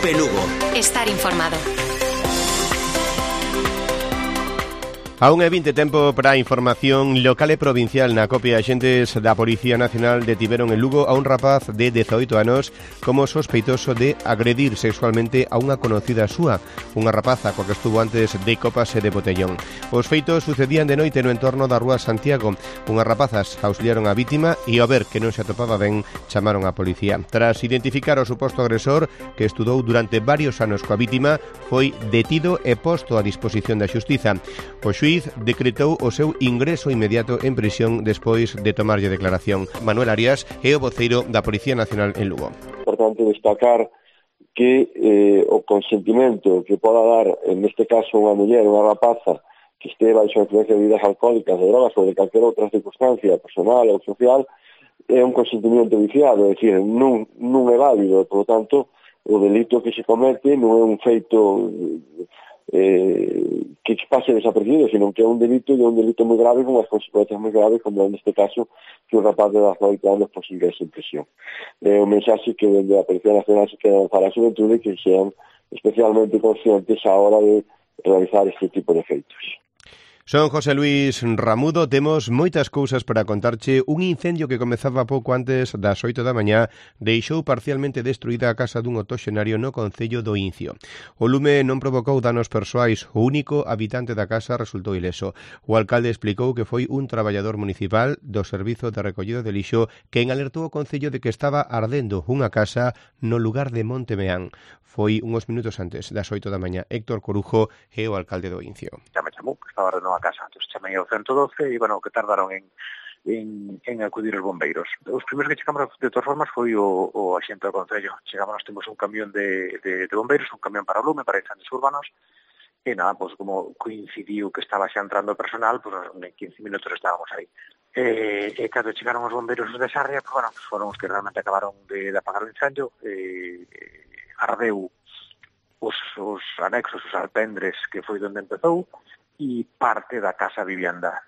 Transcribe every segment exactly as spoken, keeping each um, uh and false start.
Cope Lugo. Estar informado. A unha e vinte tempo para a información local e provincial. Na Cope, axentes da Policía Nacional detiveron en Lugo a un rapaz de dezaoito anos como sospeitoso de agredir sexualmente a unha conocida súa, unha rapaza coa que estuvo antes de copas e de botellón. Os feitos sucedían de noite no entorno da Rúa Santiago. Unhas rapazas auxiliaron a vítima e ao ver que non se atopaba ben, chamaron á policía. Tras identificar o suposto agresor, que estudou durante varios anos coa vítima, foi detido e posto a disposición da xustiza. O xuíz decretou o seu ingreso inmediato en prisión despois de tomarlle declaración. Manuel Arias é o voceiro da Policía Nacional en Lugo. Importante destacar que eh, o consentimento que poda dar, neste caso, unha muller, unha rapaza, que este baixo a influencia de bebidas alcohólicas, de drogas ou de calquera outra circunstancia personal ou social, é un consentimento viciado, é dicir, non, non é válido, por lo tanto, o delito que se comete non é un feito eh, que pase desapercibido, sino que é un delito e é un delito moi grave con as consecuencias moi graves, como neste caso que un rapaz de dezaoito anos pois ingrese en prisión. É un mensaxe que dende a Policía Nacional se queda para a xuventude que sean especialmente conscientes a hora de realizar este tipo de feitos. Son José Luis Ramudo, temos moitas cousas para contarche. Un incendio que comezaba pouco antes das oito da mañá deixou parcialmente destruída a casa dun octoxenario no concello do Incio. O lume non provocou danos persoais, o único habitante da casa resultou ileso. O alcalde explicou que foi un traballador municipal do Servizo de Recollido de Lixo quen alertou o concello de que estaba ardendo unha casa no lugar de Montemeán. Foi uns minutos antes das oito da mañá. Héctor Corujo é o alcalde do Incio. Ya me chamou, que estaba ardendo a casa. Entón, chamei ao ciento doce e, bueno, que tardaron en, en, en acudir os bombeiros. Os primeiros que chegamos, de todas formas, foi o, o axente do concello. Chegamos, temos un camión de, de, de bombeiros, un camión para o lume, para incendios urbanos, e nada, pues, como coincidiu que estaba xa entrando personal, pues, en quince minutos estábamos aí. E, e cando chegaron os bombeiros de Sarria, pues, bueno, foron os que realmente acabaron de, de apagar o incendio, e, ardeu os, os anexos, os alpendres, que foi onde empezou, e parte da casa vivienda.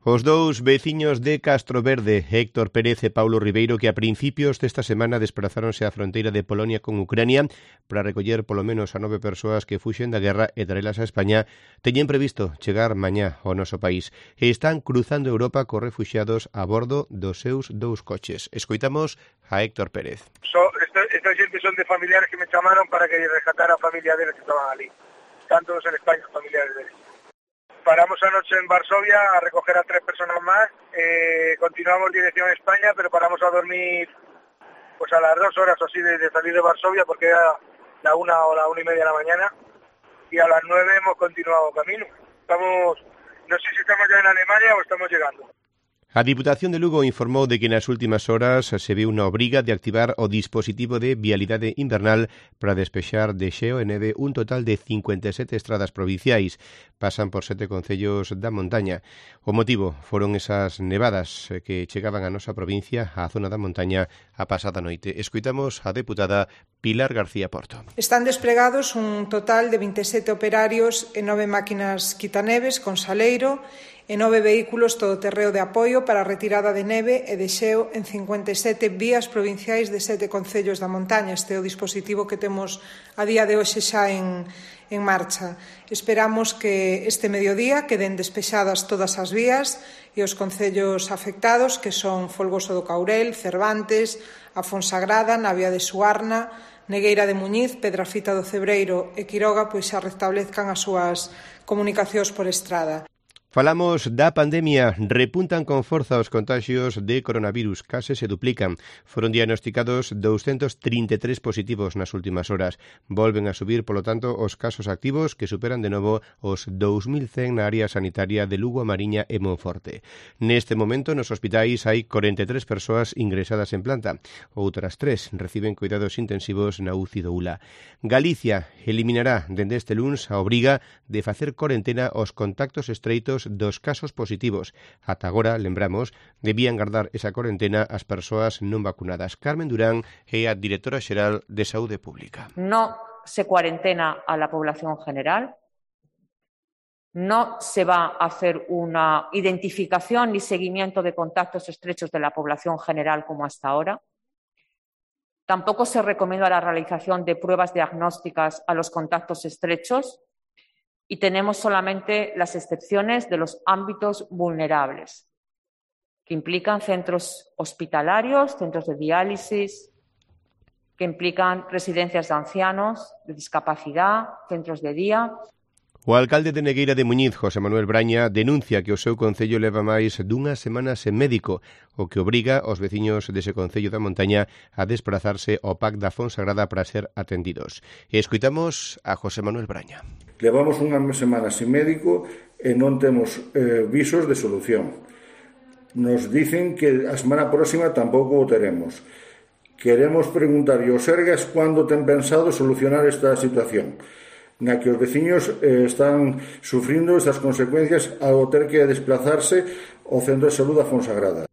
Os dous veciños de Castro Verde, Héctor Pérez e Paulo Ribeiro, que a principios desta semana desprazáronse á fronteira de Polonia con Ucrania para recoller polo menos a nove persoas que fuxen da guerra e traelas a España, teñen previsto chegar mañá ao noso país e están cruzando Europa cos refuxiados a bordo dos seus dous coches. Escoitamos a Héctor Pérez. So, esta, esta xente son de familiares que me chamaron para que rescatara a familia deles que estaban ali, tanto en España como familiares deles. Paramos anoche en Varsovia a recoger a tres personas más, eh, continuamos dirección a España, pero paramos a dormir pues a las dos horas o así de, de salir de Varsovia, porque era la una o la una y media de la mañana, y a las nueve hemos continuado camino. Estamos, no sé si estamos ya en Alemania o estamos llegando. A Diputación de Lugo informou de que nas últimas horas se viu unha obriga de activar o dispositivo de vialidade invernal para despexar de xeo e neve un total de cincuenta e sete estradas provinciais. Pasan por sete concellos da montaña. O motivo foron esas nevadas que chegaban a nosa provincia, á zona da montaña, a pasada noite. Escoitamos a deputada Pilar García Porto. Están despregados un total de vinte e sete operarios e nove máquinas quitaneves con saleiro e nove vehículos todoterreo de apoio para a retirada de neve e de xeo en cincuenta e sete vías provinciais de sete concellos da montaña. Este é o dispositivo que temos a día de hoxe xa en, en marcha. Esperamos que este mediodía queden despexadas todas as vías e os concellos afectados, que son Folgoso do Caurel, Cervantes, a Fonsagrada, Navia de Suarna, Negueira de Muñiz, Pedrafita do Cebreiro e Quiroga, pois xa restablezcan as súas comunicacións por estrada. Falamos da pandemia. Repuntan con forza os contagios de coronavirus, case se duplican. Foron diagnosticados doscientos trinta e tres positivos nas últimas horas. Volven a subir, polo tanto, os casos activos, que superan de novo os dous mil cen na área sanitaria de Lugo, A Mariña e Monforte. Neste momento, nos hospitais hai corenta e tres persoas ingresadas en planta. Outras tres reciben cuidados intensivos na U C I do U L A. Galicia eliminará dende este luns a obriga de facer corentena aos contactos estreitos dos casos positivos. Ata agora, lembramos, debían guardar esa corentena as persoas non vacunadas. Carmen Durán é a directora xeral de Saúde Pública. No se cuarentena a la población general, no se va a hacer una identificación ni seguimiento de contactos estrechos de la población general como hasta ahora. Tampoco se recomienda la realización de pruebas diagnósticas a los contactos estrechos y tenemos solamente las excepciones de los ámbitos vulnerables, que implican centros hospitalarios, centros de diálisis, que implican residencias de ancianos, de discapacidad, centros de día. O alcalde de Negueira de Muñiz, José Manuel Braña, denuncia que o seu concello leva máis dunha semana sen médico, o que obriga aos veciños dese concello da montaña a desplazarse ao P A C da Fonsagrada para ser atendidos. E escoitamos a José Manuel Braña. Levamos unha semana sen médico e non temos eh, visos de solución. Nos dicen que a semana próxima tampouco o teremos. Queremos preguntar aos Sergas cando ten pensado solucionar esta situación, na que os veciños eh, están sufrindo estas consecuencias ao ter que desplazarse ao Centro de Saúde da Fonsagrada.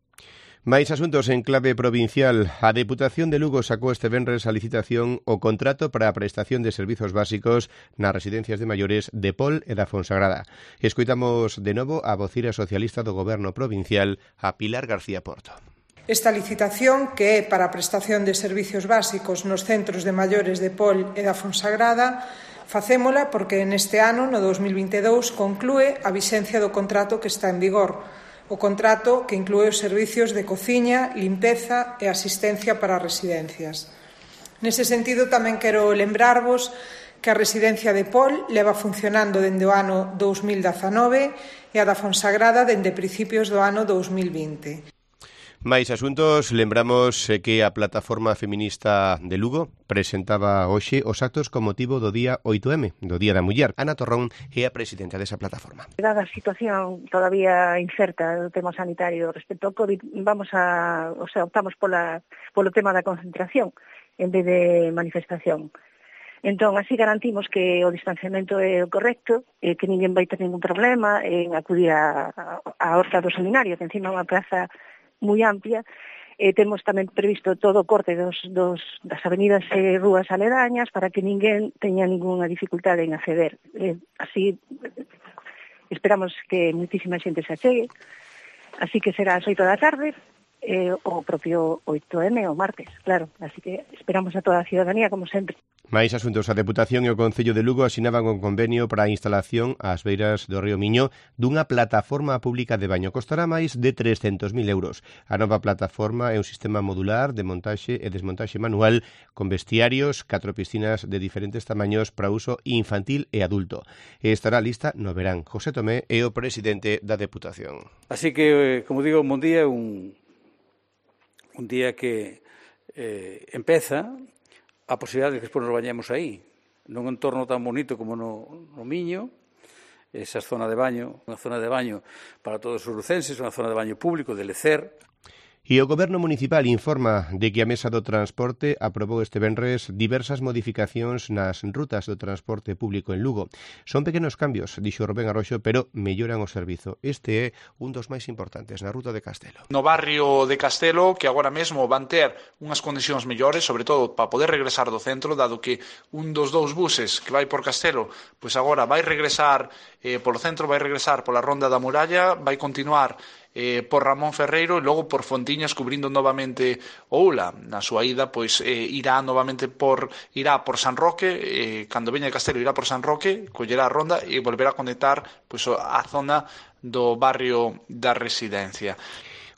Mais asuntos en clave provincial. A Deputación de Lugo sacou este venres a licitación o contrato para a prestación de servizos básicos nas residencias de maiores de Pol e da Fonsagrada. Escoitamos de novo a vocira socialista do Goberno provincial, a Pilar García Porto. Esta licitación, que é para a prestación de servizos básicos nos centros de maiores de Pol e da Fonsagrada, facémola porque neste ano, no dos mil vinte e dous, conclúe a vixencia do contrato que está en vigor, o contrato que inclúe os servicios de cociña, limpeza e asistencia para as residencias. Nese sentido, tamén quero lembrarvos que a residencia de Pol leva funcionando dende o ano dos mil dezanove e a da Fonsagrada dende principios do ano dos mil vinte. Mais asuntos, lembramos que a Plataforma Feminista de Lugo presentaba hoxe os actos con motivo do día oito eme, do Día da Muller. Ana Torrón é a presidenta desa plataforma. Dada a situación todavía incerta do tema sanitario respecto ao COVID, vamos a, o sea, optamos pola, polo tema da concentración en vez de manifestación. Entón, así garantimos que o distanciamento é o correcto, e que ninguén vai ter ningún problema en acudir a, a, a Horta do Seminario, que encima é unha praza moi amplia. Eh, temos tamén previsto todo o corte dos, dos, das avenidas e rúas aledañas para que ninguén teña ninguna dificultade en acceder. Eh, así, esperamos que muitísima xente se achegue. Así que será ás oito da tarde, eh, o propio oito eme, o martes, claro. Así que esperamos a toda a ciudadanía, como sempre. Mais asuntos, a Deputación e o Concello de Lugo asinaban un convenio para a instalación ás beiras do río Miño dunha plataforma pública de baño. Costará máis de trescentos mil euros. A nova plataforma é un sistema modular de montaxe e desmontaxe manual con vestiarios, catro piscinas de diferentes tamaños para uso infantil e adulto. E estará lista no verán. José Tomé é o presidente da Deputación. Así que, como digo, un bon día, un, un día que eh, empeza a posibilidade de que despois nos bañemos aí, nun entorno tan bonito como no, no Miño, esa zona de baño, unha zona de baño para todos os lucenses, unha zona de baño público, de lecer. E o Goberno Municipal informa de que a Mesa do Transporte aprobou este venres diversas modificacións nas rutas do transporte público en Lugo. Son pequenos cambios, dixo Rubén Arroxo, pero melloran o servizo. Este é un dos máis importantes na ruta de Castelo. No barrio de Castelo, que agora mesmo van ter unhas condicións mellores, sobre todo para poder regresar do centro, dado que un dos dous buses que vai por Castelo, pois agora vai regresar eh, polo centro, vai regresar pola Ronda da Muralla, vai continuar Eh, por Ramón Ferreiro e logo por Fontiñas cubrindo novamente o Ula. Na súa ida, pois, eh, irá novamente por irá por San Roque, eh, cando veña de Castelo irá por San Roque, collerá a ronda e volverá a conectar pois, a zona do barrio da Residencia.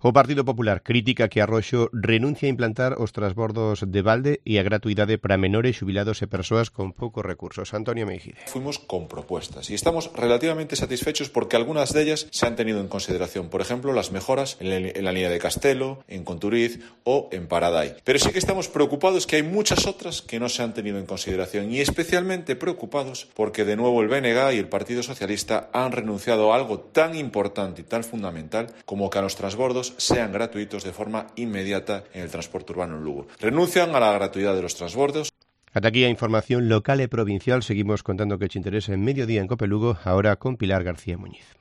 O Partido Popular critica que Arroxo renuncia a implantar os transbordos de balde e a gratuidade para menores, xubilados e persoas con poucos recursos. Antonio Meijide. Fuimos con propuestas y estamos relativamente satisfechos porque algunas de ellas se han tenido en consideración. Por ejemplo, las mejoras en la línea de Castelo, en Conturiz o en Paraday. Pero sí que estamos preocupados que hay muchas otras que no se han tenido en consideración y especialmente preocupados porque de nuevo el B N G y el Partido Socialista han renunciado a algo tan importante y tan fundamental como que a los transbordos sean gratuitos de forma inmediata en el transporte urbano en Lugo. Renuncian a la gratuidad de los transbordos. Ata aquí a información local e provincial. Seguimos contando que te interesa en Mediodía en Cope Lugo, ahora con Pilar García Muñiz.